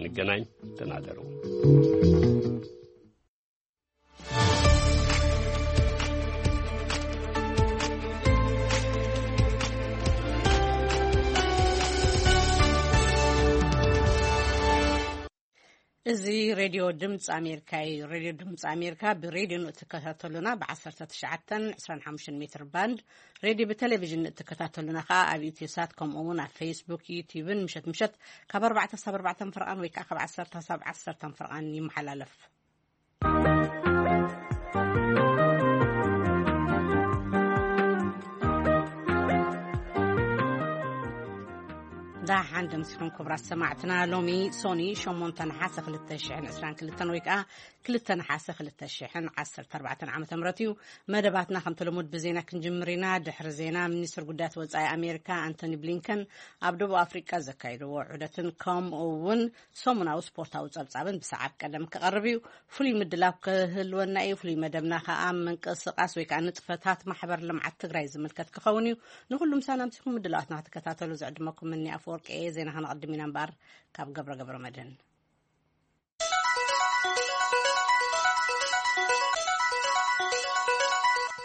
እስክንገናኝ ደህና እደሩ። እዚ ሬድዮ ድምፂ ኣሜሪካ እዩ። ሬድዮ ድምፂ ኣሜሪካ ብሬድዮ ንእትከታተሉና ብ ዓሰርተ ትሽዓተን ዕስራን ሓሙሽተን ሜትር ባንድ፣ ሬድዮ ብቴሌቪዥን ንእትከታተሉና ከዓ ኣብ ኢትዮ ሳት፣ ከምኡ እውን ኣብ ፌስቡክ፣ ዩቲዩብን ምሸት ምሸት ካብ ኣርባዕተ ክሳብ ኣርባዕተ ፍርቓን ወይ ከዓ ካብ ዓሰርተ ክሳብ ዓሰርተ ፍርቓን ይመሓላለፍ። ደሓን ደምሲኹም ክቡራት ሰማዕትና። ሎሚ ሶኒ ሸሞንተ ነሓሰ ክልተ ሽሕን ዕስራን ክልተን ወይ ከዓ ክልተ ነሓሰ ክልተ ሽሕን ዓሰርተ ኣርባዕተን ዓመተ ምህረት እዩ። መደባትና ከምቲ ልሙድ ብዜና ክንጅምር ኢና። ድሕሪ ዜና፣ ሚኒስትር ጉዳያት ወጻኢ ኣሜሪካ ኣንቶኒ ብሊንከን ኣብ ደቡብ ኣፍሪቃ ዘካየድዎ ዑደትን ከምኡ እውን ሰሙናዊ ስፖርታዊ ጸብጻብን ብሰዓብ ቀደም ክቐርብ እዩ። ፍሉይ ምድላው ክህልወና እዩ። ፍሉይ መደብና ከኣ ምንቅስቓስ ወይ ከኣ ንጥፈታት ማሕበር ልምዓት ትግራይ ዝምልከት ክኸውን እዩ። ንኹሉ ምሳና ኣምሲኹም ምድላዋትና ክትከታተሉ ዝዕድመኩም እኒ ኣፈወርቂ እየ። ዜና ከነቐድም ኢና እምበኣር ካብ ገብረ ገብረ መድህን።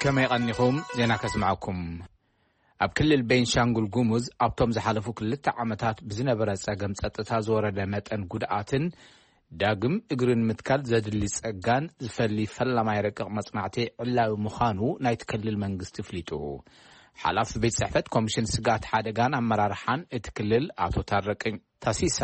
ከመይ ቀኒኹም? ዜና ከስምዓኩም። ኣብ ክልል ቤንሻንጉል ጉሙዝ ኣብቶም ዝሓለፉ ክልተ ዓመታት ብዝነበረ ጸገም ጸጥታ ዝወረደ መጠን ጉድኣትን ዳግም እግሪ ንምትካል ዘድሊ ጸጋን ዝፈሊ ፈላማይ ረቂቕ መጽናዕቲ ዕላዊ ምዃኑ ናይቲ ክልል መንግስቲ ኣፍሊጡ። ሓላፊ ቤት ጽሕፈት ኮሚሽን ስግኣት ሓደጋን ኣመራርሓን እቲ ክልል ኣቶ ታረቀኝ ታሲሳ፣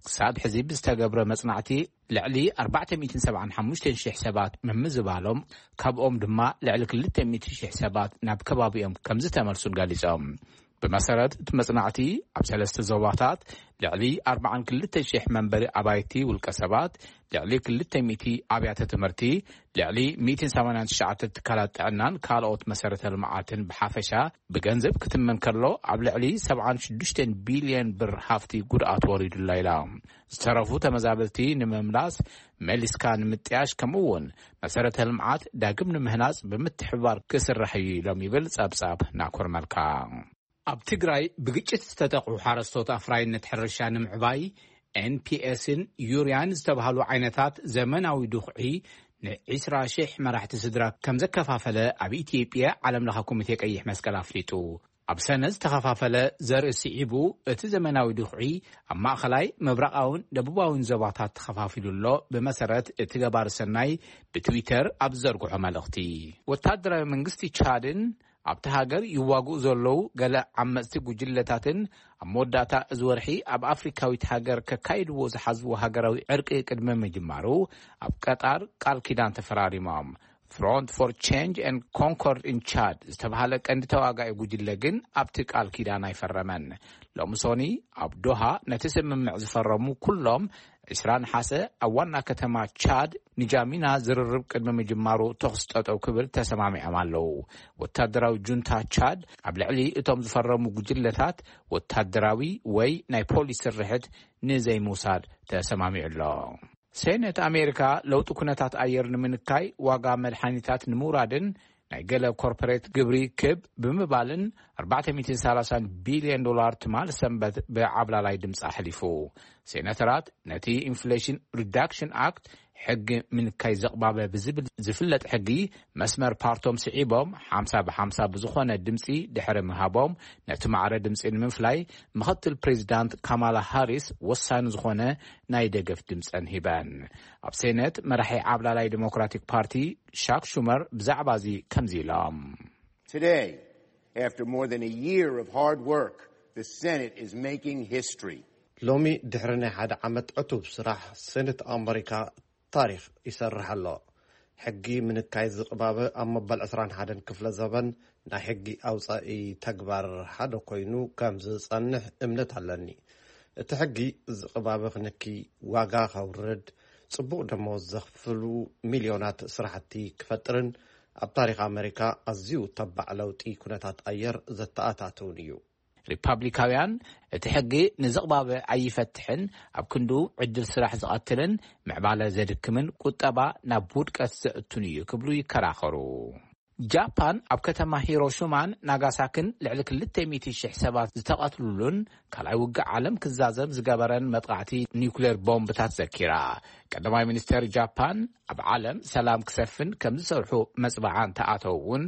ክሳብ ሕዚ ብዝተገብረ መጽናዕቲ ልዕሊ ኣርባዕተ ሚእትን ሰብዓን ሓሙሽተን ሽሕ ሰባት ምምዝባሎም፣ ካብኦም ድማ ልዕሊ ክልተ ሚእቲ ሽሕ ሰባት ናብ ከባቢኦም ከም ዝተመልሱን ገሊጾም። ብመሰረት እቲ መጽናዕቲ፣ ኣብ ሰለስተ ዞባታት ልዕሊ ኣርባዓን ክልተ ሽሕ መንበሪ ኣባይቲ ውልቀ ሰባት፣ ልዕሊ ክልተ ሚእቲ ኣብያተ ትምህርቲ፣ ልዕሊ ሚእትን ሰማንያን ትሽዓተ ትካላት ጥዕናን ካልኦት መሰረተ ልምዓትን ብሓፈሻ ብገንዘብ ክትመን ከሎ፣ ኣብ ልዕሊ ሰብዓን ሽዱሽተን ቢልዮን ብር ሃፍቲ ጉድኣት ወሪዱላ ኢላ። ዝተረፉ ተመዛበልቲ ንምምላስ፣ መሊስካ ንምጥያሽ፣ ከምኡ እውን መሰረተ ልምዓት ዳግም ንምህናጽ ብምትሕብባር ክስራሕ እዩ ኢሎም ይብል ጸብጻብ ናኮር መልካ። ኣብ ትግራይ ብግጭት ዝተጠቕዑ ሓረስቶት ኣፍራይነት ሕርሻ ንምዕባይ ኤንፒኤስን ዩርያን ዝተባህሉ ዓይነታት ዘመናዊ ድኹዒ ንዒስራ ሽሕ መራሕቲ ስድራ ከም ዘከፋፈለ ኣብ ኢትዮጵያ ዓለም ለኸ ኮሚቴ ቀይሕ መስቀል ኣፍሊጡ። ኣብ ሰነ ዝተኸፋፈለ ዘርኢ ስዒቡ፣ እቲ ዘመናዊ ድኹዒ ኣብ ማእኸላይ፣ ምብራቓውን ደቡባውን ዞባታት ተኸፋፊሉ ኣሎ። ብመሰረት እቲ ገባሪ ሰናይ ብትዊተር ኣብ ዝዘርግሖ መልእኽቲ፣ ወታደራዊ መንግስቲ ቻድን ኣብቲ ሃገር ይዋግኡ ዘለዉ ገለ ዓመጽቲ ጉጅለታትን ኣብ መወዳእታ እዚ ወርሒ ኣብ ኣፍሪካዊት ሃገር ከካይድዎ ዝሓዝዎ ሃገራዊ ዕርቂ ቅድሚ ምጅማሩ፣ ኣብ ቀጣር ቃል ኪዳን ተፈራሪሞም። ፍሮንት ፎር ቼንጅ ኤንድ ኮንኮርድ ኢን ቻድ ዝተባህለ ቀንዲ ተዋጋኢ ጉጅለ ግን ኣብቲ ቃል ኪዳን ኣይፈረመን። ሎሚ ሶኒ ኣብ ዶሃ ነቲ ስምምዕ ዝፈረሙ ኩሎም፣ ዕስራ ነሓሰ ኣብ ዋና ከተማ ቻድ ንጃሚና ዝርርብ ቅድሚ ምጅማሩ ተኹሲ ጠጠው ክብል ተሰማሚዖም ኣለዉ። ወታደራዊ ጁንታ ቻድ ኣብ ልዕሊ እቶም ዝፈረሙ ጉጅለታት ወታደራዊ ወይ ናይ ፖሊስ ስርሕት ንዘይምውሳድ ተሰማሚዑ ኣሎ። ሴኔት ኣሜሪካ ለውጢ ኩነታት ኣየር ንምንካይ፣ ዋጋ መድሓኒታት ንምውራድን ናይ ገለ ኮርፖሬት ግብሪ ክብ ብምባልን ኣርባዕተ ሚእትን ሰላሳን ቢልዮን ዶላር ትማል ሰንበት ብዓብላላይ ድምፂ ኣሕሊፉ። ሴናተራት ነቲ ኢንፍሌሽን ሪዳክሽን ኣክት፣ ሕጊ ምንካይ ዘቕባበ ብዝብል ዝፍለጥ ሕጊ፣ መስመር ፓርቶም ስዒቦም፣ ሓምሳ ብሓምሳ ብዝኾነ ድምፂ ድሕሪ ምሃቦም፣ ነቲ ማዕረ ድምፂ ንምፍላይ ምኽትል ፕሬዚዳንት ካማላ ሃሪስ ወሳኒ ዝኾነ ናይ ደገፍ ድምፀን ሂበን። ኣብ ሴኔት መራሒ ዓብላላይ ዲሞክራቲክ ፓርቲ ሻክ ሹመር ብዛዕባ እዚ ከምዚ ኢሎም። Today, after more than a year of hard work, the Senate is making history. ሎሚ ድሕሪ ናይ ሓደ ዓመት ዕቱብ ስራሕ፣ ሴኔት ኣመሪካ ታሪኽ ይሰርሕ ኣሎ። ሕጊ ምንካይ ዝቕባበ ኣብ መበል ዕስራን ሓደን ክፍለ ዘበን ናይ ሕጊ ኣውጻኢ ተግባር ሓደ ኮይኑ ከም ዝጸንሕ እምነት ኣለኒ። እቲ ሕጊ ዝቕባበ ክንኪ፣ ዋጋ ከውርድ፣ ጽቡቕ ደሞዝ ዘኽፍሉ ሚልዮናት ስራሕቲ ክፈጥርን ኣብ ታሪኽ ኣመሪካ ኣዝዩ ተባዕ ለውጢ ኩነታት ኣየር ዘተኣታትውን እዩ። ሪፓብሊካውያን እቲ ሕጊ ንዝቕባበ ኣይፈትሕን፣ ኣብ ክንዱ ዕድል ስራሕ ዝቐትልን ምዕባለ ዘድክምን ቁጠባ ናብ ውድቀት ዘእቱን እዩ ክብሉ ይከራኸሩ። ጃፓን ኣብ ከተማ ሂሮሽማን ናጋሳክን ልዕሊ ክልተ ሚእቲ ሽሕ ሰባት ዝተቐትሉሉን ካልኣይ ውግእ ዓለም ክዛዘም ዝገበረን መጥቃዕቲ ኒውክሌር ቦምብታት ዘኪራ። ቀዳማይ ሚኒስተር ጃፓን ኣብ ዓለም ሰላም ክሰፍን ከም ዝሰርሑ መጽብዓ እንተኣተው እውን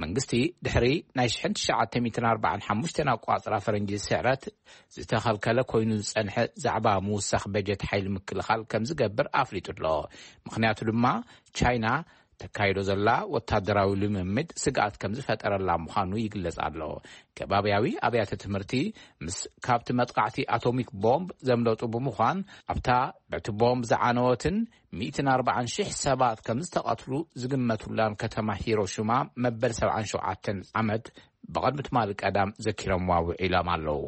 መንግስቲ ድሕሪ ናይ ሽሕን ትሽዓተ ሚእትን ኣርባዓን ሓሙሽተን ኣቋጽራ ፈረንጂ ስዕረት ዝተኸልከለ ኮይኑ ዝጸንሐ ዛዕባ ምውሳኽ በጀት ሓይሊ ምክልኻል ከም ዝገብር ኣፍሊጡ ኣሎ። ምኽንያቱ ድማ ቻይና ተካይዶ ዘላ ወታደራዊ ልምምድ ስግኣት ከም ዝፈጠረላ ምዃኑ ይግለጽ ኣሎ። ከባብያዊ ኣብያተ ትምህርቲ ምስ ካብቲ መጥቃዕቲ ኣቶሚክ ቦምብ ዘምለጡ ብምዃን ኣብታ በቲ ቦምብ ዝዓነወትን ሚእትን ኣርባዓን ሽሕ ሰባት ከም ዝተቐትሉ ዝግመቱላን ከተማ ሂሮሽማ መበል ሰብዓን ሸውዓተን ዓመት ብቕድሚ ትማሊ ቀዳም ዘኪሮምዋ ውዒሎም ኣለዉ።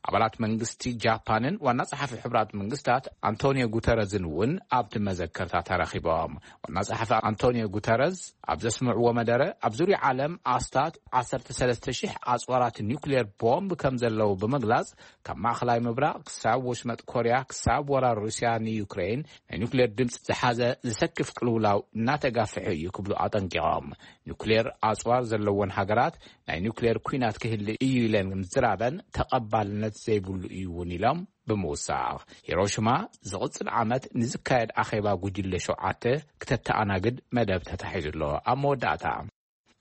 ኣባላት መንግስቲ ጃፓንን ዋና ጸሓፊ ሕብራት መንግስታት ኣንቶኒዮ ጉተረዝን እውን ኣብቲ መዘከርታ ተረኺቦም። ዋና ጸሓፊ ኣንቶኒዮ ጉተረዝ ኣብ ዘስምዕዎ መደረ ኣብ ዙርያ ዓለም ኣስታት ዓሰርተ ሰለስተ ሽሕ ኣጽዋራት ኒውክሌር ቦምብ ከም ዘለዉ ብምግላጽ ካብ ማእኸላይ ምብራቕ ክሳብ ወሽመጥ ኮርያ ክሳብ ወራር ሩስያ ንዩክሬን ናይ ኒውክሌር ድምፂ ዝሓዘ ዝሰክፍ ቅልውላው እናተጋፍሐ እዩ ክብሉ ኣጠንቂቖም። ኒውክሌር ኣጽዋር ዘለወን ሃገራት ናይ ኒውክሌር ኲናት ክህሊ እዩ ኢለን ምዝራበን ተቐባልነት ዘይብሉ እዩ እውን ኢሎም ብምውሳኽ ሂሮሽማ ዝቕጽል ዓመት ንዝካየድ ኣኼባ ጉጅለ ሸውዓተ ክተተኣናግድ መደብ ተታሒዙ ኣሎ። ኣብ መወዳእታ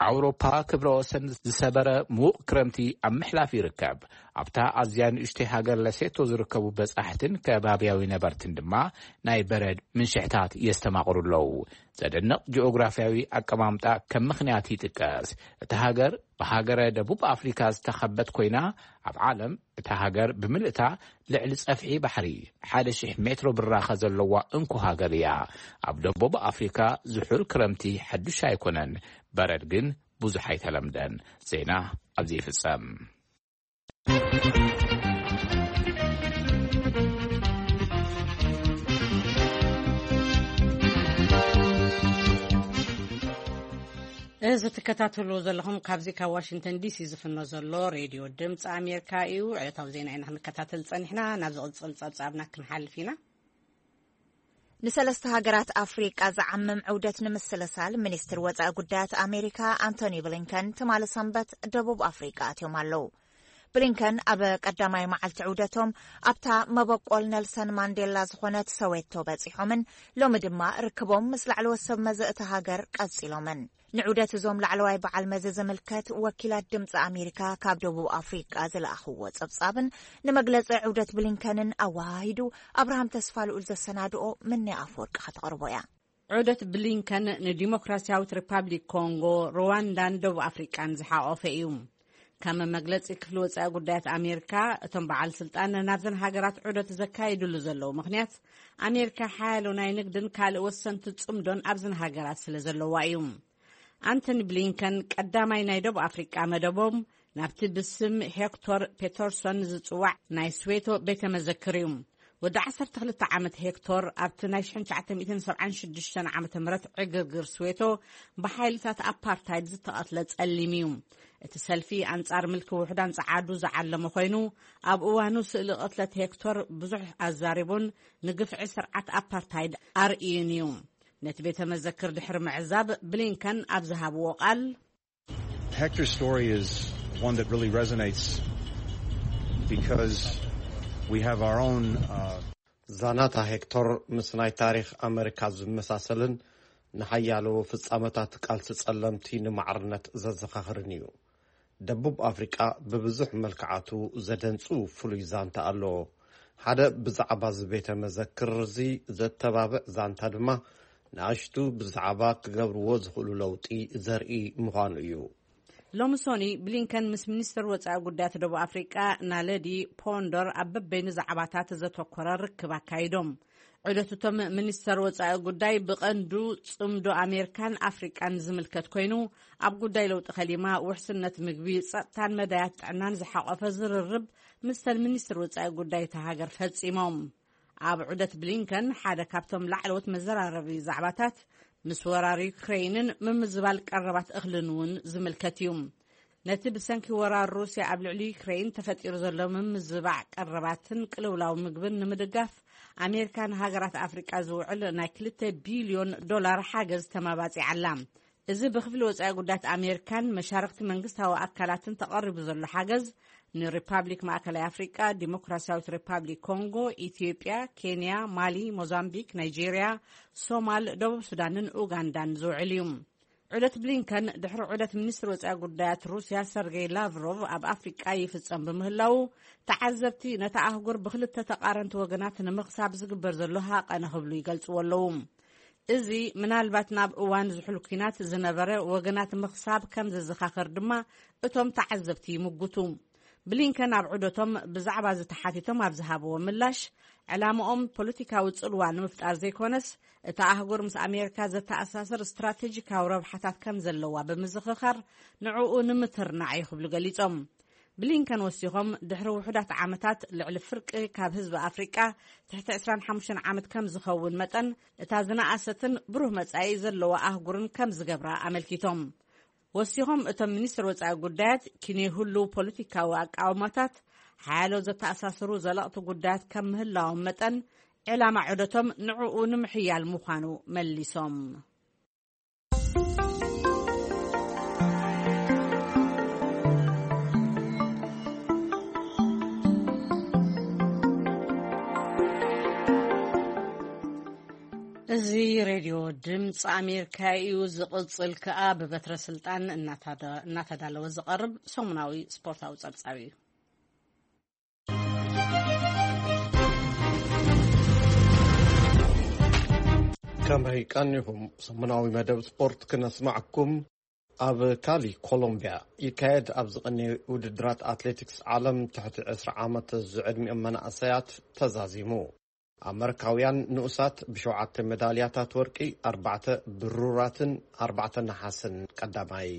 ኣውሮፓ ክብረ ወሰን ዝሰበረ ምዉቕ ክረምቲ ኣብ ምሕላፍ ይርከብ። ኣብታ ኣዝያ ንእሽተይ ሃገር ለሴቶ ዝርከቡ በጻሕትን ከባብያዊ ነበርትን ድማ ናይ በረድ ምንሽሕታት የስተማቕሩ ኣለዉ። ዘደንቕ ጂኦግራፍያዊ ኣቀማምጣ ከም ምኽንያት ይጥቀስ። እታ ሃገር ብሃገረ ደቡብ ኣፍሪካ ዝተኸበት ኮይና ኣብ ዓለም እታ ሃገር ብምልእታ ልዕሊ ጸፍሒ ባሕሪ ሓደ ሽሕ ሜትሮ ብራኸ ዘለዋ እንኮ ሃገር እያ። ኣብ ደቡብ ኣፍሪካ ዝሑል ክረምቲ ሓዱሽ ኣይኮነን። በረድ ግን ብዙሕ ኣይተለምደን። ዜና ኣብዚ ይፍጸም። እዚ ትከታተሉ ዘለኹም ካብዚ ካብ ዋሽንግተን ዲሲ ዝፍኖ ዘሎ ሬድዮ ድምፂ ኣሜሪካ እዩ። ዕለታዊ ዜና ኢና ክንከታተል ጸኒሕና። ናብ ዝቕጽል ጸብጻብና ክንሓልፍ ኢና። ንሰለስተ ሃገራት ኣፍሪቃ ዝዓምም ዕውደት ንምስልሳል ሚኒስትር ወጻኢ ጉዳያት ኣሜሪካ ኣንቶኒ ብሊንከን ትማሊ ሰንበት ደቡብ ኣፍሪቃ ኣትዮም ኣለዉ። ብሊንከን ኣብ ቀዳማይ መዓልቲ ዕውደቶም ኣብታ መበቆል ነልሰን ማንዴላ ዝኾነት ሰዌቶ በጺሖምን ሎሚ ድማ ርክቦም ምስ ላዕለዎት ሰብ መዚ እታ ሃገር ቀጺሎምን። ንዑደት እዞም ላዕለዋይ በዓል መዚ ዝምልከት ወኪላት ድምፂ ኣሜሪካ ካብ ደቡብ ኣፍሪቃ ዝለኣኽዎ ጸብጻብን ንመግለጺ ዑደት ብሊንከንን ኣወሃሂዱ ኣብርሃም ተስፋ ልኡል ዘሰናድኦ ምንያ ኣፈወርቂ ከተቕርቦ እያ። ዑደት ብሊንከን ንዲሞክራሲያዊት ሪፓብሊክ ኮንጎ፣ ሩዋንዳን ደቡብ ኣፍሪቃን ዝሓቖፈ እዩ። ከም መግለጺ ክፍሊ ወጻኢ ጉዳያት ኣሜሪካ፣ እቶም በዓል ስልጣን ናብዘን ሃገራት ዑደት ዘካይድሉ ዘለዉ ምኽንያት ኣሜሪካ ሓያሎ ናይ ንግድን ካልእ ወሰንቲ ጽምዶን ኣብዘን ሃገራት ስለ ዘለዋ እዩ። ኣንቶኒ ብሊንከን ቀዳማይ ናይ ደቡብ ኣፍሪቃ መደቦም ናብቲ ብስም ሄክቶር ፔተርሶን ዝጽዋዕ ናይ ስዌቶ ቤተ መዘክር እዩ። ወዲ ዓሰርተ ክልተ ዓመት ሄክቶር ኣብቲ ናይ ሽሕን ትሽዓተ ሚእትን ሰብዓን ሽዱሽተን ዓመተ ምህረት ዕግርግር ስዌቶ ብሓይልታት ኣፓርታይድ ዝተቐትለ ጸሊም እዩ። እቲ ሰልፊ ኣንጻር ምልኪ ውሑዳን ጸዓዱ ዝዓለመ ኮይኑ፣ ኣብ እዋኑ ስእሊ ቅትለት ሄክቶር ብዙሕ ኣዛሪቡን ንግፍዒ ስርዓት ኣፓርታይድ ኣርእዩን እዩ። ነቲ ቤተ መዘክር ድሕሪ ምዕዛብ ብሊንከን ኣብ ዝሃብዎ ቃል፣ Hector's story is one that really resonates because we have our own uh, ዛናታ ሄክቶር ምስ ናይ ታሪኽ ኣመሪካ ዝመሳሰልን ንሓያሎ ፍጻመታት ቃልሲ ጸለምቲ ንማዕርነት ዘዘኻኽርን እዩ። ደቡብ ኣፍሪቃ ብብዙሕ መልክዓቱ ዘደንጹ ፍሉይ ዛንታ ኣለዎ። ሓደ ብዛዕባ እዚ ቤተ መዘክር እዚ ዘተባብዕ ዛንታ ድማ ንኣሽቱ ብዛዕባ ክገብርዎ ዝኽእሉ ለውጢ ዘርኢ ምዃኑ እዩ። ሎሚ ሶኒ ብሊንከን ምስ ሚኒስትር ወጻኢ ጉዳያት ደቡብ ኣፍሪቃ ናለዲ ፖንዶር ኣብ በበይኑ ዛዕባታት ዘተኮረ ርክብ ኣካይዶም። ዑደት እቶም ሚኒስተር ወጻኢ ጉዳይ ብቐንዱ ጽምዶ ኣሜሪካን ኣፍሪቃን ዝምልከት ኮይኑ፣ ኣብ ጉዳይ ለውጢ ከሊማ፣ ውሕስነት ምግቢ፣ ጸጥታን መዳያት ጥዕናን ዝሓቖፈ ዝርርብ ምስተን ሚኒስትር ወጻኢ ጉዳይ እታ ሃገር ፈጺሞም። ኣብ ዑደት ብሊንከን ሓደ ካብቶም ላዕለዎት መዘራረቢ ዛዕባታት ምስ ወራር ዩክሬይንን ምምዝባል ቀረባት እኽልን እውን ዝምልከት እዩ። ነቲ ብሰንኪ ወራር ሩስያ ኣብ ልዕሊ ዩክሬይን ተፈጢሩ ዘሎ ምምዝባዕ ቀረባትን ቅልውላው ምግብን ንምድጋፍ ኣሜሪካ ንሃገራት ኣፍሪቃ ዝውዕል ናይ ክልተ ቢልዮን ዶላር ሓገዝ ተመባጺዓ ኣላ። እዚ ብክፍሊ ወጻኢ ጉዳያት ኣሜሪካን መሻርክቲ መንግስታዊ ኣካላትን ተቐሪቡ ዘሎ ሓገዝ፣ ንሪፓብሊክ ማእከላይ ኣፍሪቃ፣ ዲሞክራሲያዊት ሪፓብሊክ ኮንጎ፣ ኢትዮጵያ፣ ኬንያ፣ ማሊ፣ ሞዛምቢክ፣ ናይጄርያ፣ ሶማል፣ ደቡብ ሱዳንን ኡጋንዳን ዝውዕል እዩ። ዑደት ብሊንከን ድሕሪ ዑደት ሚኒስትር ወጻኢ ጉዳያት ሩስያ ሰርጌይ ላቭሮቭ ኣብ ኣፍሪቃ ይፍጸም ብምህላዉ፣ ተዓዘብቲ ነታ ኣህጉር ብክልተ ተቓረንቲ ወገናት ንምኽሳብ ዝግበር ዘሎ ሃቐነ ክብሉ ይገልጽዎ ኣለዉ። እዚ ምናልባት ናብ እዋን ዝሑል ኲናት ዝነበረ ወገናት ምኽሳብ ከም ዘዘኻኸር ድማ እቶም ተዓዘብቲ ይምጉቱ። ብሊንከን ኣብ ዑደቶም ብዛዕባ እዚ ተሓቲቶም ኣብ ዝሃብዎ ምላሽ፣ ዕላምኦም ፖለቲካዊ ጽልዋ ንምፍጣር ዘይኮነስ፣ እታ ኣህጉር ምስ ኣሜሪካ ዘተኣሳስር ስትራቴጂካዊ ረብሓታት ከም ዘለዋ ብምዝኽኻር፣ ንዕኡ ንምትርናዕ እዩ ክብሉ ገሊጾም። ብሊንከን ወሲኾም፣ ድሕሪ ውሑዳት ዓመታት ልዕሊ ፍርቂ ካብ ህዝቢ ኣፍሪቃ ትሕቲ ዕስራን ሓሙሽተን ዓመት ከም ዝኸውን መጠን፣ እታ ዝነኣሰትን ብሩህ መጻኢ ዘለዋ ኣህጉርን ከም ዝገብራ ኣመልኪቶም። ወሲኾም፣ እቶም ሚኒስትር ወጻኢ ጉዳያት፣ ኪንየይ ህሉው ፖለቲካዊ ኣቃውማታት ሓያሎ ዘተኣሳስሩ ዘለቕቲ ጉዳያት ከም ምህላዎም መጠን፣ ዕላማ ዑደቶም ንዕኡ ንምሕያል ምዃኑ መሊሶም። እዚ ሬድዮ ድምፂ ኣሜሪካ እዩ። ዝቕጽል ከኣ ብበትረ ስልጣን እናታዳ-፣ እናተዳለወ ዝቐርብ ሰሙናዊ ስፖርታዊ ጸብጻብ እዩ። ከመይ ቀኒኹም? ሰሙናዊ መደብ ስፖርት ክነስማዕኩም። ኣብ ካሊ ኮሎምቢያ ይካየድ ኣብ ዝቐነየ ውድድራት ኣትሌቲክስ ዓለም ትሕቲ ዕስራ ዓመት ዝዕድሚኦም መናእሰያት ተዛዚሙ። ኣመሪካውያን ንኡሳት ብሸውዓተ ሜዳልያታት ወርቂ፣ ኣርባዕተ ብሩራትን ኣርባዕተ ነሓስን ቀዳማይ።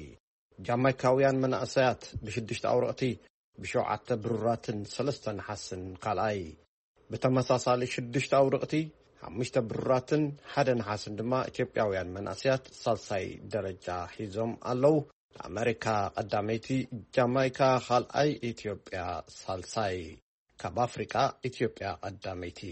ጃማይካውያን መናእሰያት ብሽዱሽተ ኣውረቕቲ ብሸውዓተ ብሩራትን ሰለስተ ነሓስን ካልኣይ። ብተመሳሳሊ ሽዱሽተ ኣውረቕቲ፣ ሓሙሽተ ብሩራትን ሓደ ነሓስን ድማ ኢትዮጵያውያን መናእሰያት ሳልሳይ ደረጃ ሒዞም ኣለዉ። ኣመሪካ ቀዳመይቲ፣ ጃማይካ ካልኣይ፣ ኢትዮጵያ ሳልሳይ። ካብ ኣፍሪቃ ኢትዮጵያ ቀዳመይቲ።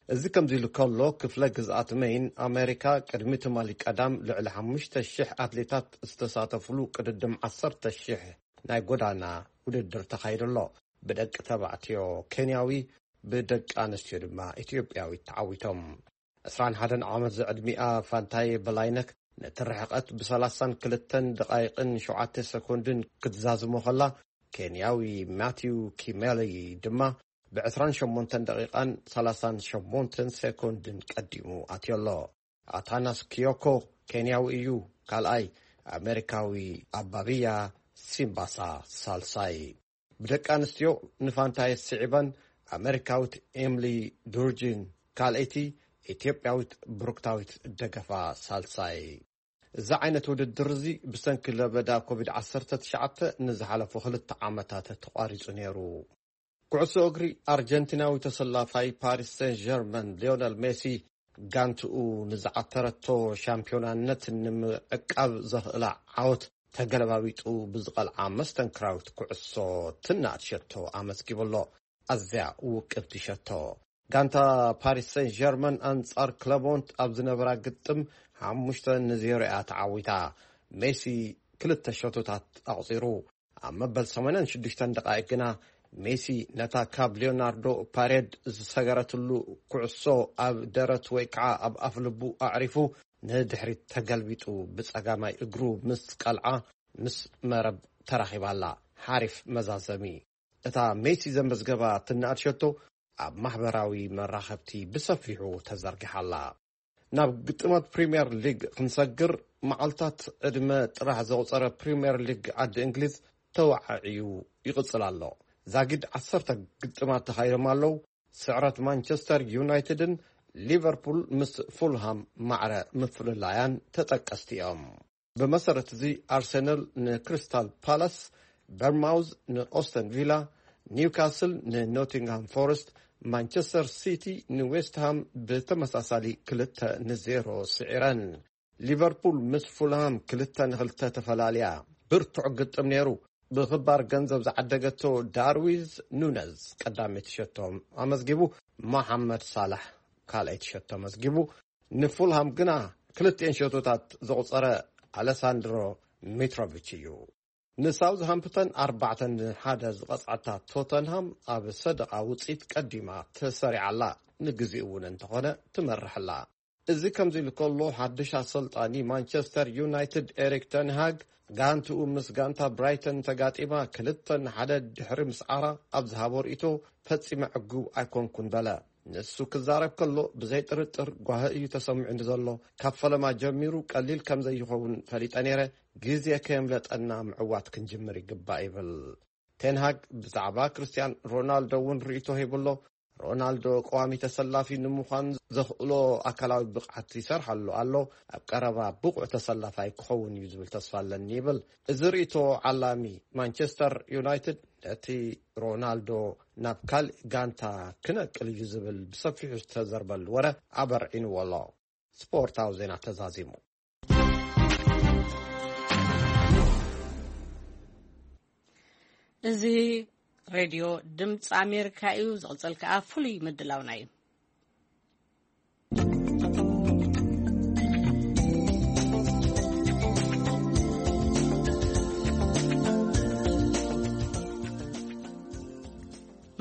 እዚ ከምዚ ኢሉ ከሎ፣ ክፍለ ግዝኣት መይን ኣመሪካ ቅድሚ ትማሊ ቀዳም ልዕሊ ሓሙሽተ ሽሕ ኣትሌታት ዝተሳተፉሉ ቅድድም ዓሰርተ ሽሕ ናይ ጎዳና ውድድር ተኻይዱ ኣሎ። ብደቂ ተባዕትዮ ኬንያዊ፣ ብደቂ ኣንስትዮ ድማ ኢትዮጵያዊት ተዓዊቶም። ዕስራን ሓደን ዓመት ዝዕድሚኣ ፋንታየ በላይነህ ነቲ ርሕቐት ብሰላሳን ክልተን ደቓይቕን ሸውዓተ ሰኮንድን ክትዛዝሞ ከላ፣ ኬንያዊ ማቲው ኪሜሊ ድማ ብዕስራን ሸሞንተን ደቒቓን ሰላሳን ሸሞንተን ሴኮንድን ቀዲሙ ኣትዮ ኣሎ። ኣታናስ ኪዮኮ ኬንያዊ እዩ ካልኣይ፣ ኣሜሪካዊ ኣባብያ ሲምባሳ ሳልሳይ። ብደቂ ኣንስትዮ ንፋንታየስ ስዒበን ኣሜሪካዊት ኤምሊ ዱርጂን ካልኣይቲ፣ ኢትዮጵያዊት ብሩክታዊት ደገፋ ሳልሳይ። እዚ ዓይነት ውድድር እዚ ብሰንኪ ለበዳ ኮቪድ ዓሰርተ ትሽዓተ ንዝሓለፉ ክልተ ዓመታት ተቋሪጹ ነይሩ። ኩዕሶ እግሪ ኣርጀንቲናዊ ተሰላፋይ ፓሪስ ሴን ጀርመን ሊዮነል ሜሲ ጋንትኡ ንዝዓተረቶ ሻምፒዮናነት ንምዕቃብ ዘኽእላ ዓወት ተገለባቢጡ ብዝቐልዓ መስተንክራዊት ኩዕሶ ትናኣድ ሸቶ ኣመዝጊቡ ኣሎ። ኣዝያ ውቅብቲ ሸቶ። ጋንታ ፓሪስ ሴን ጀርመን ኣንጻር ክለቦንት ኣብ ዝነበራ ግጥም ሓሙሽተ ንዜሮ እያ ተዓዊታ። ሜሲ ክልተ ሸቶታት ኣቑጺሩ። ኣብ መበል ሰማንያን ሽዱሽተን ደቓይቅ ግና ሜሲ ነታ ካብ ሊዮናርዶ ፓሬድ ዝሰገረትሉ ኩዕሶ ኣብ ደረት ወይ ከዓ ኣብ ኣፍ ልቡ ኣዕሪፉ ንድሕሪት ተገልቢጡ ብጸጋማይ እግሩ ምስ ቀልዓ ምስ መረብ ተራኺባ ኣላ። ሓሪፍ መዛዘሚ። እታ ሜሲ ዘመዝገባ ትናኣድ ሸቶ ኣብ ማሕበራዊ መራኸብቲ ብሰፊሑ ተዘርጊሓ ኣላ። ናብ ግጥማት ፕሪምየር ሊግ ክንሰግር፣ መዓልታት ዕድመ ጥራሕ ዘቑጸረ ፕሪምየር ሊግ ዓዲ እንግሊዝ ተወዓዒዩ ይቕጽል ኣሎ። ዛጊድ ዓሰርተ ግጥማት ተኻይዶም ኣለዉ። ስዕረት ማንቸስተር ዩናይትድን ሊቨርፑል ምስ ፉልሃም ማዕረ ምፍልላያን ተጠቀስቲ እዮም። ብመሰረት እዚ፣ ኣርሰናል ንክሪስታል ፓላስ፣ በርማውዝ ንኦስተን ቪላ፣ ኒውካስል ንኖቲንግሃም ፎረስት፣ ማንቸስተር ሲቲ ንዌስትሃም ብተመሳሳሊ ክልተ ንዜሮ ስዒረን። ሊቨርፑል ምስ ፉልሃም ክልተ ንክልተ ተፈላልያ። ብርቱዕ ግጥም ነይሩ። ብኽባር ገንዘብ ዝዓደገቶ ዳርዊዝ ኑነዝ ቀዳመይቲ ሸቶ ኣመዝጊቡ፣ መሓመድ ሳላሕ ካልኣይቲ ሸቶ ኣመዝጊቡ። ንፉልሃም ግና ክልቲኤን ሸቶታት ዘቑጸረ ኣለሳንድሮ ሚትሮቪች እዩ። ንሳውዝሃምፕተን ኣርባዕተ ንሓደ ዝቐጽዐታ ቶተንሃም ኣብ ሰደቓ ውጽኢት ቀዲማ ተሰሪዓ ኣላ። ንግዜኡ እውን እንተኾነ ትመርሕ ኣላ። እዚ ከምዚ ኢሉ ከሎ፣ ሓድሽ ኣሰልጣኒ ማንቸስተር ዩናይትድ ኤሪክ ተንሃግ ጋንትኡ ምስ ጋንታ ብራይተን ተጋጢማ ክልተ ንሓደ ድሕሪ ምስዓራ ኣብ ዝሃቦ ርእይቶ፣ ፈጺመ ዕጉብ ኣይኮንኩን በለ። ንሱ ክዛረብ ከሎ፣ ብዘይ ጥርጥር ጓሂ እዩ ተሰሚዑኒ ዘሎ። ካብ ፈለማ ጀሚሩ ቀሊል ከም ዘይኸውን ፈሊጠ ነይረ። ግዜ ከየምለጠና ምዕዋት ክንጅምር ይግባእ ይብል። ቴንሃግ ብዛዕባ ክርስቲያን ሮናልዶ እውን ርእይቶ ሂቡ ኣሎ። ሮናልዶ ቀዋሚ ተሰላፊ ንምዃን ዘኽእሎ ኣካላዊ ብቕዓት ይሰርሓሉ ኣሎ። ኣብ ቀረባ ብቑዕ ተሰላፋይ ክኸውን እዩ ዝብል ተስፋ ኣለኒ ይብል። እዚ ርእይቶ ዓላሚ ማንቸስተር ዩናይትድ ነቲ ሮናልዶ ናብ ካልእ ጋንታ ክነቅል እዩ ዝብል ብሰፊሑ ዝተዘርበሉ ወረ ኣበርዒንዎ ኣሎ። ስፖርታዊ ዜና ተዛዚሙ። እዚ ሬድዮ ድምፂ ኣሜሪካ እዩ። ዝቕፅል ከኣ ፍሉይ ምድላውና እዩ።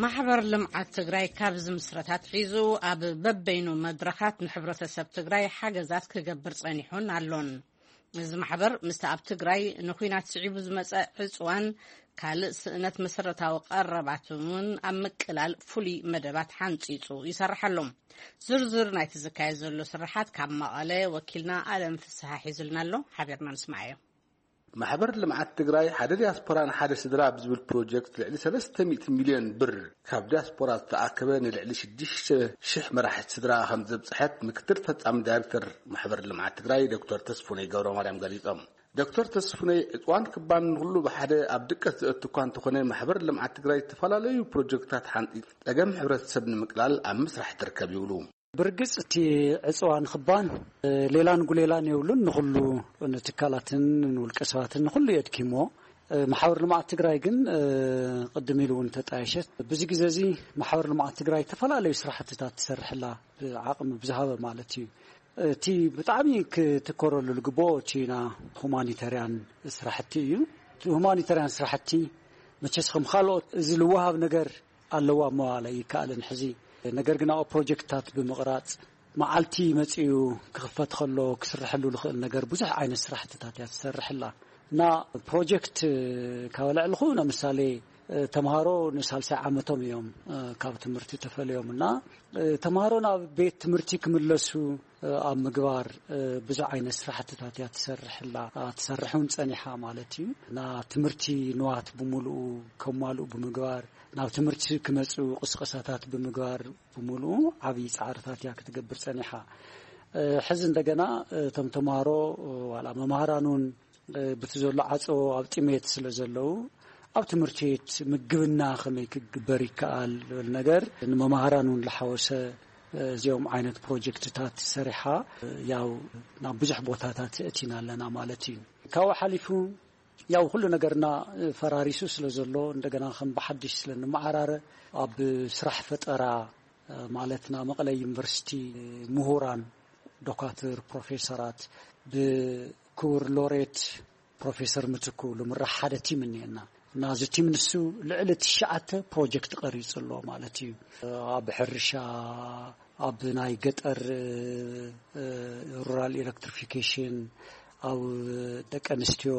ማሕበር ልምዓት ትግራይ ካብ ዝምስረት ኣትሒዙ ኣብ በበይኑ መድረኻት ንሕብረተሰብ ትግራይ ሓገዛት ክገብር ጸኒሑን ኣሎን። እዚ ማሕበር ምስቲ ኣብ ትግራይ ንኹናት ስዒቡ ዝመጸ ዕጽዋን ካልእ ስእነት መሰረታዊ ቀረባትን እውን ኣብ ምቅላል ፍሉይ መደባት ሓንጺጹ ይሰርሕ ኣሎ። ዝርዝር ናይቲ ዝካየድ ዘሎ ስራሓት ካብ መቐለ ወኪልና ኣለም ፍስሓ ሒዙልና ኣሎ። ሓቢርና ንስማዓዮ። ማሕበር ልምዓት ትግራይ ሓደ ዲያስፖራን ሓደ ስድራ ብዝብል ፕሮጀክት ልዕሊ ሰለስተ ሚእቲ ሚልዮን ብር ካብ ዲያስፖራ ዝተኣከበ ንልዕሊ ሽዱሽተ ሽሕ መራሕቲ ስድራ ከም ዘብፅሐት ምክትል ፈፃሚ ዳይሬክተር ማሕበር ልምዓት ትግራይ ዶክተር ተስፉነይ ገብረ ማርያም ገሊፆም። ዶክተር ተስፉነይ ዕፅዋን ክባን ንኩሉ ብሓደ ኣብ ድቀት ዘእቱ እኳ እንተኾነ፣ ማሕበር ልምዓት ትግራይ ዝተፈላለዩ ፕሮጀክትታት ሓንፂ ፀገም ሕብረተሰብ ንምቅላል ኣብ ምስራሕ ትርከብ ይብሉ። ብርግጽ እቲ ዕጽዋን ክባን፣ እ፣ ሌላን ጉሌላን የብሉን። ንኹሉ፣ ንትካላትን ንውልቀ ሰባትን ንኹሉ የድኪሞ። እ፣ ማሕበር ልምዓት ትግራይ ግን፣ እ፣ ቅድም ኢሉ እውን ተጣየሸት። ብዚ ግዜ እዚ ማሕበር ልምዓት ትግራይ ዝተፈላለዩ ስራሕትታት ትሰርሕላ፣ ብዓቕሚ ብዝሃበ ማለት እዩ። እቲ ብጣዕሚ ክትኮረሉ ዝግብኦ እቲ ና ሁማኒታርያን ስራሕቲ እዩ። እቲ ሁማኒታርያን ስራሕቲ መቸስ ከም ካልኦት እዚ ልወሃብ ነገር ኣለዋ እሞ ኣይከኣልን ሕዚ። ነገር ግን ኣብኡ ፕሮጀክትታት ብምቕራጽ፣ መዓልቲ መጺኡ ክኽፈት ከሎ ክስርሐሉ ዝኽእል ነገር ብዙሕ ዓይነት ስራሕትታት እያ ትሰርሕላ። እና ፕሮጀክት ካብ ለዕልኹ፣ ንምሳሌ፣ ተምሃሮ ንሳልሳይ ዓመቶም እዮም ካብ ትምህርቲ ተፈልዮም። እና ተምሃሮ ናብ ቤት ትምህርቲ ክምለሱ ኣብ ምግባር ብዙሕ ዓይነት ስራሕትታት እያ ትሰርሕላ፣ ትሰርሕ እውን ጸኒሓ ማለት እዩ። እና ትምህርቲ ንዋት ብምሉኡ ከማልኡ ብምግባር፣ ናብ ትምህርቲ ክመጹ ቅስቀሳታት ብምግባር ብምሉኡ ዓብዪ ጻዕርታት እያ ክትገብር ጸኒሓ። እ፣ ሕዚ እንደገና፣ እ፣ እቶም ተምሃሮ፣ እ፣ ዋላ መምሃራን እውን፣ እ፣ ብቲ ዘሎ ዓጾ ኣብ ጥሜት ስለ ዘለዉ፣ ኣብ ትምህርቲ ቤት ምግብና ከመይ ክግበር ይከኣል ዝብል ነገር ንመምሃራን እውን ዝሓወሰ፣ እ፣ እዚኦም ዓይነት ፕሮጀክትታት ሰሪሓ፣ እ፣ ያው ናብ ብዙሕ ቦታታት እቲና ኣለና ማለት እዩ። ካብኡ ሓሊፉ ያው ኩሉ ነገርና ፈራሪሱ ስለ ዘሎ፣ እንደገና ከም ብሓድሽ ስለ ንመዓራረ፣ ኣብ ስራሕ ፈጠራ፣ ማለት፣ ናብ መቐለ ዩኒቨርሲቲ ምሁራን፣ ዶካትር፣ ፕሮፌሰራት፣ ብክቡር ሎሬት ፕሮፌሰር ምትኩ ልምራሕ ሓደ ቲም እኒአና። እና እዚ ቲም ንሱ ልዕሊ ትሽዓተ ፕሮጀክት ቀሪጹ ኣሎ ማለት እዩ። ኣብ ሕርሻ፣ ኣብ ናይ ገጠር፣ እ፣ ሩራል ኤሌክትሪፊኬሽን፣ ኣብ ደቂ ኣንስትዮ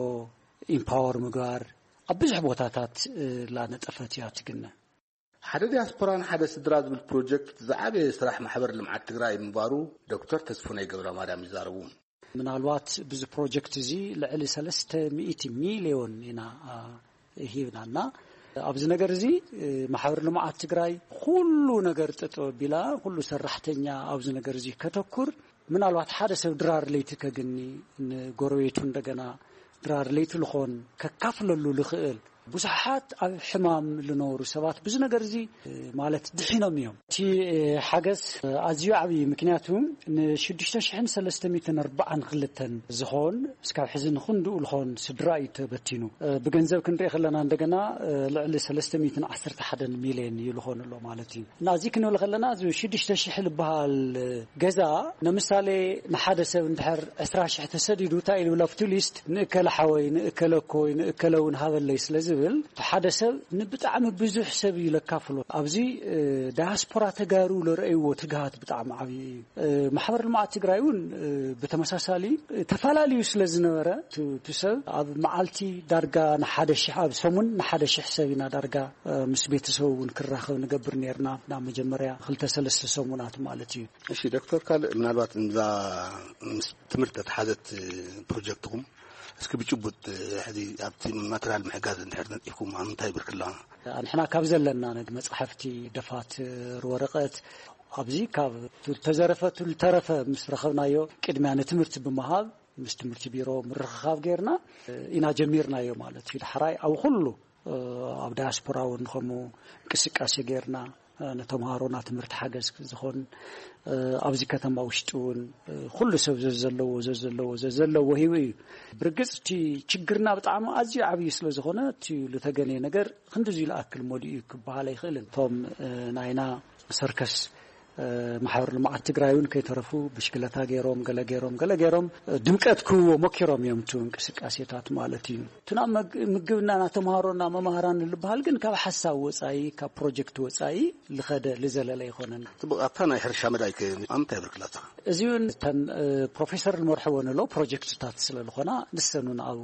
ኢምፓወር ምግባር፣ ኣብ ብዙሕ ቦታታት፣ እ፣ ላነጠፈት እያ ትግነ። ሓደ ዲያስፖራን ሓደ ስድራ ዝብል ፕሮጀክት ዝዓበየ ስራሕ ማሕበር ልምዓት ትግራይ ምንባሩ ዶክተር ተስፉነይ ገብረ ማርያም ይዛረቡ። ምናልባት ብዚ ፕሮጀክት እዚ ልዕሊ ሰለስተ ሚእቲ ሚልዮን ኢና፣ አ፣ ሂብናና። ኣብዚ ነገር እዚ፣ እ፣ ማሕበር ልምዓት ትግራይ ኩሉ ነገር ጠጠው ኣቢላ፣ ኩሉ ሰራሕተኛ ኣብዚ ነገር እዚ ከተኩር፣ ምናልባት ሓደ ሰብ ድራር ለይቲ ከግኒ፣ ንጎረቤቱ እንደገና ድራር ለይቲ ልኾን ከካፍለሉ ልኽእል ብዙሓት ኣብ ሕማም ዝነበሩ ሰባት ብዙ ነገር እዚ ማለት ድሒኖም እዮም። እቲ ሓገዝ ኣዝዩ ዓብዪ፣ ምክንያቱ ንሽዱሽተ ሽሕን ሰለስተ ሚእትን ኣርባዓን ክልተን ዝኾን እስካብ ሕዚ ንክንድኡ ልኾን ስድራ እዩ ተበቲኑ። ብገንዘብ ክንርኢ ከለና እንደገና ልዕሊ ሰለስተ ሚእትን ዓሰርተ ሓደን ሚልዮን እዩ ልኾን ኣሎ ማለት እዩ። እና እዚ ክንብል ከለና እዚ ሽዱሽተ ሽሕ ዝበሃል ገዛ ንምሳሌ ንሓደ ሰብ እንድሕር ዕስራ ሽሕ ተሰዲዱ እንታይ ኢሉ ኣብቲ ሊስት ንእከለ ሓወይ፣ ንእከለ እኮይ፣ ንእከለ እውን ሃበለይ ስለ ዝብል እቲ ሓደ ሰብ ንብጣዕሚ ብዙሕ ሰብ እዩ ለካፍሎ። ኣብዚ ዳያስፖራ ተጋሩ ለረእይዎ ትግሃት ብጣዕሚ ዓብዪ እዩ። ማሕበር ልምዓት ትግራይ እውን ብተመሳሳሊ ተፈላለዩ ስለ ዝነበረ እቲ ሰብ ኣብ መዓልቲ ዳርጋ ንሓደ ሽሕ፣ ኣብ ሰሙን ንሓደ ሽሕ ሰብ ኢና ዳርጋ ምስ ቤተሰቡ እውን ክራኸብ ንገብር ነርና። ናብ መጀመርያ ክልተ ሰለስተ ሰሙናት ማለት እዩ። እሺ ዶክተር ካልእ፣ ምናልባት እዛ ምስ ትምህርቲ ተተሓዘት ፕሮጀክትኩም እስኪ ብጭቡጥ ሕዚ ኣብቲ ማተርያል ምሕጋዝ እንድሕር ነጢፍኩም ኣብ ምንታይ ብርክላ? ንሕና ካብ ዘለና ነግ መጻሕፍቲ፣ ደፋትር፣ ወረቐት ኣብዚ ካብ ተዘረፈ ተረፈ ምስ ረኸብናዮ ቅድሚያ ንትምህርቲ ብምሃብ ምስ ትምህርቲ ቢሮ ምርኽኻብ ጌርና ኢና ጀሚርናዮ ማለት እዩ። ዳሕራይ ኣብ ኩሉ ኣብ ዳያስፖራ እውን ከምኡ እንቅስቃሴ ጌርና ንተምሃሮና ትምህርቲ ሓገዝ ዝኾን ኣብዚ ከተማ ውሽጢ እውን ኩሉ ሰብ ዘዘለዎ ዘዘለዎ ዘዘለዎ ሂቡ እዩ። ብርግጽ እቲ ችግርና ብጣዕሚ ኣዝዩ ዓብዪ ስለ ዝኾነ እቲ ዝተገነየ ነገር ክንድዚ ዝኣክል መሊኡ እዩ ክበሃል ኣይኽእልን። እቶም ናይና ሰርከስ ማሕበር ልምዓት ትግራይ እውን ከይተረፉ ብሽክለታ ገይሮም፣ ገለ ገይሮም፣ ገለ ገይሮም ድምቀት ክህቦ ሞኪሮም እዮም፣ እቲ እንቅስቃሴታት ማለት እዩ። እቲ ናብ መግ-፣ ምግብና ና ተምሃሮና መማህራን ልበሃል ግን ካብ ሓሳብ ወፃኢ፣ ካብ ፕሮጀክት ወፃኢ ልኸደ ልዘለለ ኣይኮነን። ጽቡቕ፣ ኣብታ ናይ ሕርሻ መዳይ ከ ኣብ ምንታይ ብርክላታ? እዚ እውን እተን ፕሮፌሰር ንመርሕወን ኣሎ ፕሮጀክትታት ስለ ዝኾና ንሰን እውን ኣብ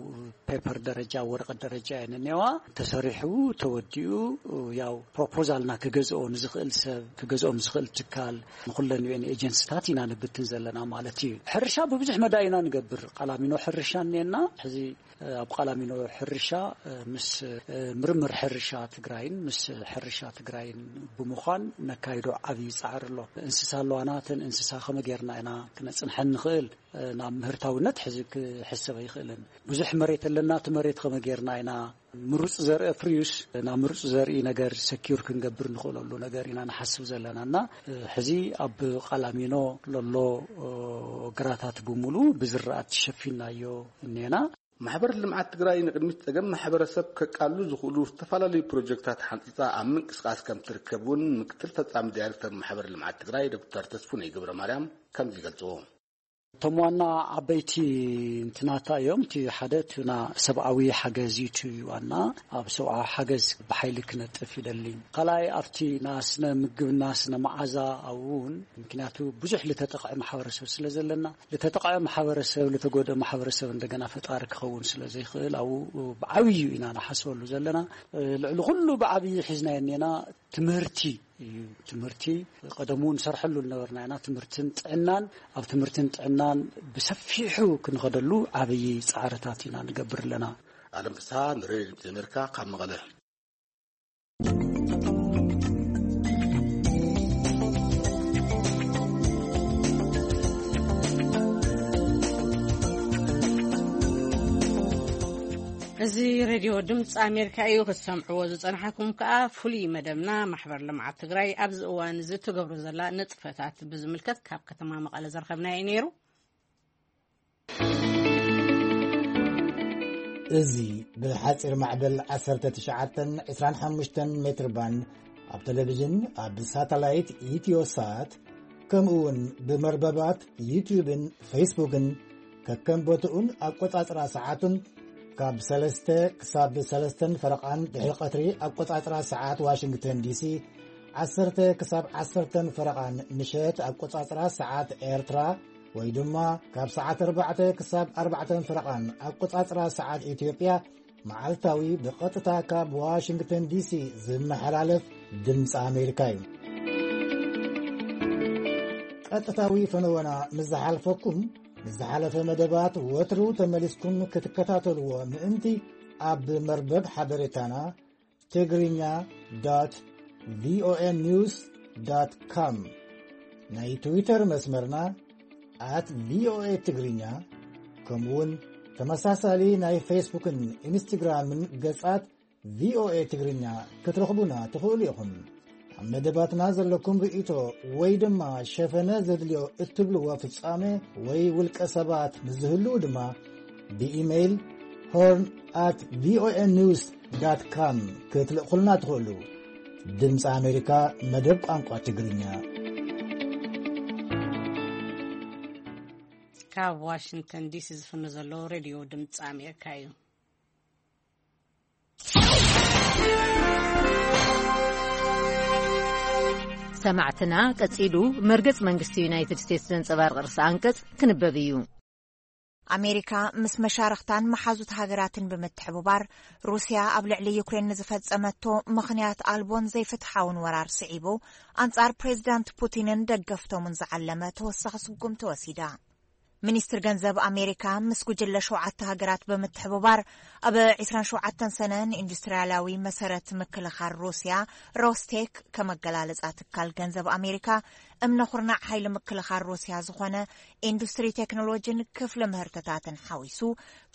ፔፐር ደረጃ፣ ወረቐት ደረጃ እየን እኒዋ። ተሰሪሑ ተወዲኡ ያው ፕሮፖዛልና ክገዝኦ ንዝኽእል ሰብ፣ ክገዝኦም ዝኽእል ትካል ንኹለን ዩ ኤን ኤጀንሲታት ኢና ንብትን ዘለና ማለት እዩ። ሕርሻ ብብዙሕ መዳይ ኢና ንገብር። ቃላሚኖ ሕርሻ እኒኤና። ሕዚ ኣብ ቃላሚኖ ሕርሻ ምስ ምርምር ሕርሻ ትግራይን ምስ ሕርሻ ትግራይን ብምዃን ነካይዶ ዓብዪ ጻዕሪ ኣሎ። እንስሳ ኣለዋና። እተን እንስሳ ከመ ጌርና ኢና ክነጽንሐን ንኽእል? ናብ ምህርታውነት ሕዚ ክሕሰብ ኣይኽእልን። ብዙሕ መሬት ኣለና። እቲ መሬት ከመ ጌርና ኢና ምሩፅ ዘርኢ ፍርዩስ ናብ ምሩፅ ዘርኢ ነገር ሰኪር ክንገብር ንኽእለሉ ነገር ኢና ንሓስብ ዘለና እና ሕዚ ኣብ ቃላሚኖ ለሎ ግራታት ብምሉ ብዝራእቲ ሸፊናዮ እኔና። ማሕበር ልምዓት ትግራይ ንቅድሚት ጸገም ማሕበረሰብ ከቃሉ ዝኽእሉ ዝተፈላለዩ ፕሮጀክታት ሓንፂፃ ኣብ ምንቅስቃስ ከም ትርከብ እውን ምክትል ፈጻሚ ዳይሬክተር ማሕበር ልምዓት ትግራይ ዶክተር ተስፉነይ ገብረ ማርያም ከምዚ ይገልፅዎ። እቶም ዋና ዓበይቲ እንትናታ እዮም። እቲ ሓደ እቲ ና ሰብኣዊ ሓገዝ እዩ። እቲ ዋና ኣብ ሰብኣዊ ሓገዝ ብሓይሊ ክነጥፍ ይደሊ። ካልኣይ ኣብቲ ና ስነ ምግብና ስነ መዓዛ ኣብኡ እውን ምክንያቱ ብዙሕ ልተጠቕዐ ማሕበረሰብ ስለ ዘለና ልተጠቕዐ ማሕበረሰብ ልተጎደ ማሕበረሰብ እንደገና ፈጣሪ ክኸውን ስለ ዘይኽእል ኣብኡ ብዓብዩ ኢና ንሓስበሉ ዘለና። ልዕሊ ኩሉ ብዓብዪ ሒዝናዮ እኔና ትምህርቲ እዩ። ትምህርቲ ቀደሙ ንሰርሐሉ ዝነበርና ኢና። ትምህርትን ጥዕናን ኣብ ትምህርትን ጥዕናን ብሰፊሑ ክንኸደሉ ዓብዪ ፃዕርታት ኢና ንገብር ኣለና። ኣለም ፍስሃ ንሬድዮ ድምፂ ኣሜሪካ ካብ መቐለ። እዚ ሬድዮ ድምፂ ኣሜሪካ እዩ። ክትሰምዕዎ ዝፀናሕኩም ከዓ ፍሉይ መደብና ማሕበር ልምዓት ትግራይ ኣብዚ እዋን እዚ ትገብሮ ዘላ ንጥፈታት ብዝምልከት ካብ ከተማ መቐለ ዘርኸብናዮ ነይሩ። እዚ ብሓፂር ማዕበል ዓሰርተ ትሽዓተን ዕስራን ሓሙሽተን ሜትር ባንድ ኣብ ቴሌቪዥን ኣብ ሳተላይት ኢትዮሳት ከምኡ እውን ብመርበባት ዩትዩብን ፌስቡክን ከከም ቦትኡን ኣቆጻጽራ ሰዓቱን ካብ ሰለስተ ክሳብ ሰለስተን ፈረቓን ድሕሪ ቀትሪ ኣቆጻጽራ ሰዓት ዋሽንግተን ዲሲ ዓሰርተ ክሳብ ዓሰርተን ፈረቓን ምሸት ኣቆጻጽራ ሰዓት ኤርትራ ወይ ድማ ካብ ሰዓት ኣርባዕተ ክሳብ ኣርባዕተን ፈረቓን ኣቆጻጽራ ሰዓት ኢትዮጵያ መዓልታዊ ብቐጥታ ካብ ዋሽንግተን ዲሲ ዝመሓላለፍ ድምፂ ኣሜሪካ እዩ። ቀጥታዊ ፈነወና ምስ ዝሓልፈኩም ንዝሓለፈ መደባት ወትሩ ተመሊስኩም ክትከታተልዎ ምእንቲ ኣብ መርበብ ሓበሬታና ትግርኛ ዶት ቪኦኤ ኒውስ ዶት ኮም ናይ ትዊተር መስመርና ኣት ቪኦኤ ትግርኛ ከምኡውን ተመሳሳሊ ናይ ፌስቡክን ኢንስትግራምን ገጻት ቪኦኤ ትግርኛ ክትረኽቡና ትኽእሉ ኢኹም። ኣብ መደባትና ዘለኩም ርእይቶ ወይ ድማ ሸፈነ ዘድልዮ እትብልዎ ፍጻሜ ወይ ውልቀ ሰባት ምስ ዝህልዉ ድማ ብኢሜይል ሆርን ኣት ቪኦኤ ኒውስ ዳት ካም ክትልእኹልና ትኽእሉ። ድምፂ ኣሜሪካ መደብ ቋንቋ ትግርኛ። ካብ ዋሽንግተን ዲሲ ዝፍኖ ዘሎ ሬድዮ ድምፂ ኣሜሪካ እዩ። ሰማዕትና፣ ቀጺሉ መርገጽ መንግስቲ ዩናይትድ ስቴትስ ዘንጸባርቕ ርእሰ ኣንቀጽ ክንበብ እዩ። ኣሜሪካ ምስ መሻርኽታን መሓዙት ሃገራትን ብምትሕብባር፣ ሩስያ ኣብ ልዕሊ ዩክሬን ንዝፈጸመቶ ምኽንያት ኣልቦን ዘይፍትሓውን ወራር ስዒቡ፣ ኣንጻር ፕሬዚዳንት ፑቲንን ደገፍቶምን ዝዓለመ ተወሳኺ ስጉምቲ ወሲዳ። ሚኒስትር ገንዘብ ኣሜሪካ ምስ ጉጅለ ሸውዓተ ሃገራት ብምትሕብባር፣ ኣብ ዕስራን ሸውዓተን ሰነ ንኢንዱስትሪያላዊ መሰረት ምክልኻል ሩስያ፣ ሮስቴክ፣ ከመገላለጻ ትካል ገንዘብ ኣሜሪካ፣ እምነ ኩርናዕ ሓይሊ ምክልኻል ሩስያ ዝኾነ ኢንዱስትሪ ቴክኖሎጂን ክፍሊ ምህርትታትን ሓዊሱ፣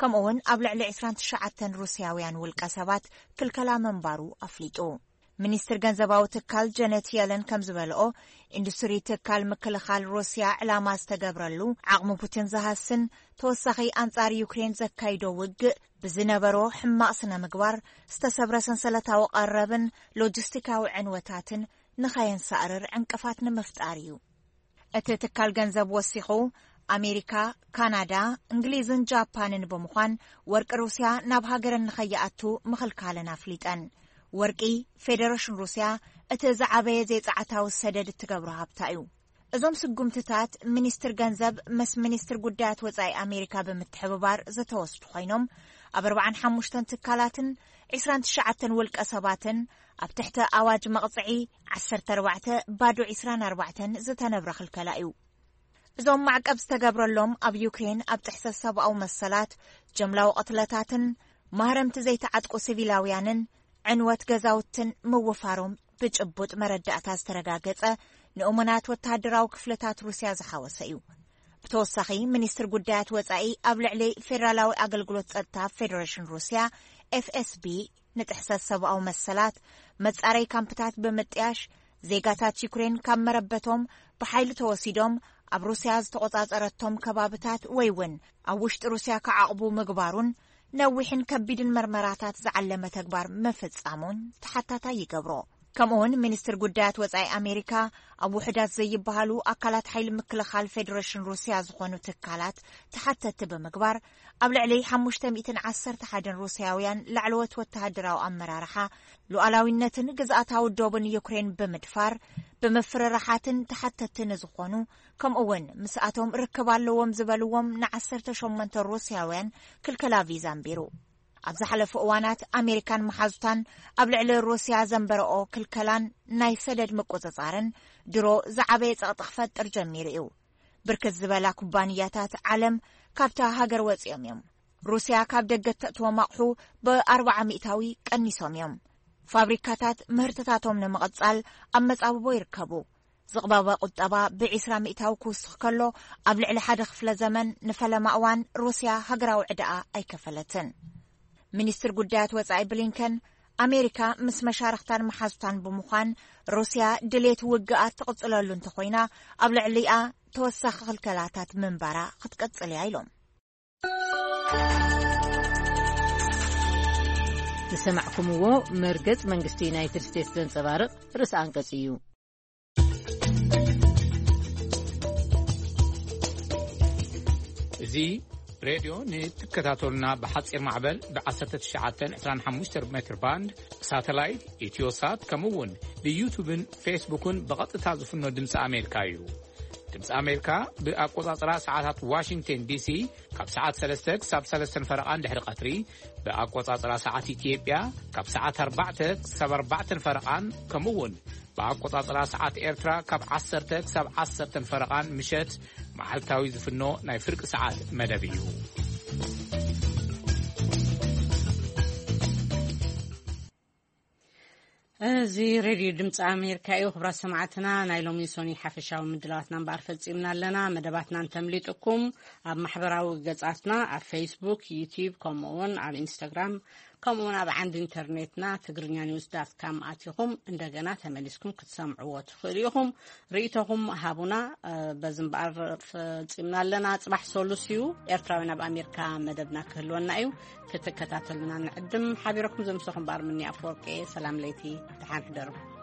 ከምኡ እውን ኣብ ልዕሊ ዕስራን ትሽዓተን ሩስያውያን ውልቀ ሰባት ክልከላ ምንባሩ ኣፍሊጡ። ሚኒስትር ገንዘባዊ ትካል ጀነት የለን ከም ዝበልኦ፣ ኢንዱስትሪ ትካል ምክልኻል ሩስያ ዕላማ ዝተገብረሉ፣ ዓቕሚ ፑቲን ዝሃስን፣ ተወሳኺ ኣንጻር ዩክሬን ዘካይዶ ውግእ ብዝነበሮ ሕማቕ ስነ ምግባር ዝተሰብረ ሰንሰለታዊ ቀረብን ሎጂስቲካዊ ዕንወታትን ንኸየንሳእርር ዕንቅፋት ንምፍጣር እዩ። እቲ ትካል ገንዘብ ወሲኹ፣ ኣሜሪካ፣ ካናዳ፣ እንግሊዝን ጃፓንን ብምዃን ወርቂ ሩስያ ናብ ሃገረን ንኸይኣቱ ምኽልካለን ኣፍሊጠን። ወርቂ፣ ፌደሬሽን ሩስያ እቲ ዝዓበየ ዘይጸዓታዊ ሰደድ እትገብሮ ሃብታ እዩ። እዞም ስጉምትታት ሚኒስትር ገንዘብ ምስ ሚኒስትር ጉዳያት ወጻኢ ኣሜሪካ ብምትሕብባር ዝተወስዱ ኮይኖም፣ ኣብ ኣርባዓን ሓሙሽተን ትካላትን ዕስራን ትሽዓተን ውልቀ ሰባትን ኣብ ትሕቲ ኣዋጅ መቕጽዒ ዓሰርተ ኣርባዕተ ባዶ ዕስራን ኣርባዕተን ዝተነብረ ክልከላ እዩ። እዞም ማዕቀብ ዝተገብረሎም ኣብ ዩክሬን ኣብ ጥሕሰት ሰብኣዊ መሰላት፣ ጀምላዊ ቅትለታትን ማህረምቲ ዘይተዓጥቁ ሲቪላውያንን ዕንወት ገዛውትን ምውፋሮም ብጭቡጥ መረዳእታ ዝተረጋገጸ ንእሙናት ወተሃደራዊ ክፍልታት ሩስያ ዝሓወሰ እዩ። ብተወሳኺ፣ ሚኒስትር ጉዳያት ወጻኢ ኣብ ልዕሊ ፌደራላዊ ኣገልግሎት ጸጥታ ፌደሬሽን ሩስያ፣ ኤፍኤስቢ፣ ንጥሕሰት ሰብኣዊ መሰላት፣ መጻረይ ካምፕታት ብምጥያሽ፣ ዜጋታት ዩክሬን ካብ መረበቶም ብሓይሊ ተወሲዶም ኣብ ሩስያ ዝተቖጻጸረቶም ከባብታት ወይ እውን ኣብ ውሽጢ ሩስያ ክዓቕቡ ምግባሩን ነዊሕን ከቢድን መርመራታት ዝዓለመ ተግባር ምፍጻሙን ተሓታታይ ይገብሮ። ከምኡውን ሚኒስትር ጉዳያት ወጻኢ ኣሜሪካ ኣብ ውሑዳት ዘይበሃሉ ኣካላት ሓይሊ ምክልኻል ፌደሬሽን ሩስያ ዝኾኑ ትካላት ተሓተቲ ብምግባር፣ ኣብ ልዕሊ ሓሙሽተ ሚእትን ዓሰርተ ሓደን ሩስያውያን ላዕለዎት ወተሃደራዊ ኣመራርሓ፣ ሉዓላዊነትን ግዝኣታዊ ዶብን ዩክሬን ብምድፋር፣ ብምፍርራሓትን ተሓተቲ ንዝኾኑ፣ ከምኡ እውን ምስኣቶም ርክብ ኣለዎም ዝበልዎም ንዓሰርተ ሸሞንተ ሩስያውያን ክልከላ ቪዛ ኣንቢሩ። ኣብ ዝሓለፉ እዋናት ኣሜሪካን መሓዙታን ኣብ ልዕሊ ሩስያ ዘንበረኦ ክልከላን ናይ ሰደድ ምቁጽጻርን ድሮ ዝዓበየ ጸቕጢ ክፈጥር ጀሚሩ እዩ። ብርክት ዝበላ ኩባንያታት ዓለም ካብታ ሃገር ወጺኦም እዮም። ሩስያ ካብ ደገ እተእትዎም ኣቕሑ ብኣርባዓ ሚእታዊ ቀኒሶም እዮም። ፋብሪካታት ምህርትታቶም ንምቕጻል ኣብ መጻብቦ ይርከቡ። ዝቕባበ ቁጠባ ብዒስራ ሚእታዊ ክውስኽ ከሎ፣ ኣብ ልዕሊ ሓደ ክፍለ ዘመን ንፈለማ እዋን ሩስያ ሃገራዊ ዕዳኣ ኣይከፈለትን። ሚኒስትር ጉዳያት ወጻኢ ብሊንከን፣ ኣሜሪካ ምስ መሻርኽታን መሓዙታን ብምዃን ሩስያ ድሌት ውግኣ ትቕጽለሉ እንተኾይና፣ ኣብ ልዕሊኣ ተወሳኺ ክልከላታት ምንባራ ክትቀጽል እያ ኢሎም። ዝሰማዕኩምዎ መርገጽ መንግስቲ ዩናይትድ ስቴትስ ዘንጸባርቕ ርእሰ ኣንቀጽ እዩ። እዚ ሬድዮ ንትከታተሉና ብሓጺር ማዕበል ብ ዓሰርተ ትሽዓተ ዕስራን ሓሙሽተ ሜትር ባንድ፣ ሳተላይት፣ ኢትዮሳት፣ ከምኡ እውን ብዩቱብን ፌስቡክን ብቐጥታ ዝፍኖ ድምፂ ኣሜሪካ እዩ። ድምፂ ኣሜሪካ ብኣቆጻጽራ ሰዓታት ዋሽንግተን ዲሲ ካብ ሰዓት ሰለስተ ክሳብ ሰለስተን ፈረቓን ድሕሪ ቀትሪ፣ ብኣቆጻጽራ ሰዓት ኢትዮጵያ ካብ ሰዓት ኣርባዕተ ክሳብ ኣርባዕተን ፈረቓን፣ ከምኡ እውን ብኣቆጻጽራ ሰዓት ኤርትራ ካብ ዓሰርተ ክሳብ ዓሰርተን ፈረቓን ምሸት መዓልታዊ ዝፍኖ ናይ ፍርቂ ሰዓት መደብ እዩ። እዚ ሬድዮ ድምፂ ኣሜሪካ እዩ። ክቡራት ሰማዕትና፣ ናይ ሎሚ ሶኒ ሓፈሻዊ ምድላዋትና እምበኣር ፈጺምና ኣለና። መደባትና እንተምሊጥኩም፣ ኣብ ማሕበራዊ ገጻትና፣ ኣብ ፌስቡክ፣ ዩቲዩብ፣ ከምኡ እውን ኣብ ኢንስታግራም ከምኡውን ኣብ ዓንዲ ኢንተርኔትና ትግርኛ ኒውስ ዳት ካም ኣቲኹም እንደገና ተመሊስኩም ክትሰምዕዎ ትኽእሉ ኢኹም። ርእይቶኹም ሃቡና። በዚ እምበኣር ፈጺምና ኣለና። ጽባሕ ሶሉስ እዩ። ኤርትራውያን ኣብ ኣሜሪካ መደብና ክህልወና እዩ። ክትከታተሉና ንዕድም። ሓቢረኩም ዘምሰኹም በኣር ምኒ ኣፈወርቂ። ሰላም ለይቲ፣ ደሓን ሕደሩ።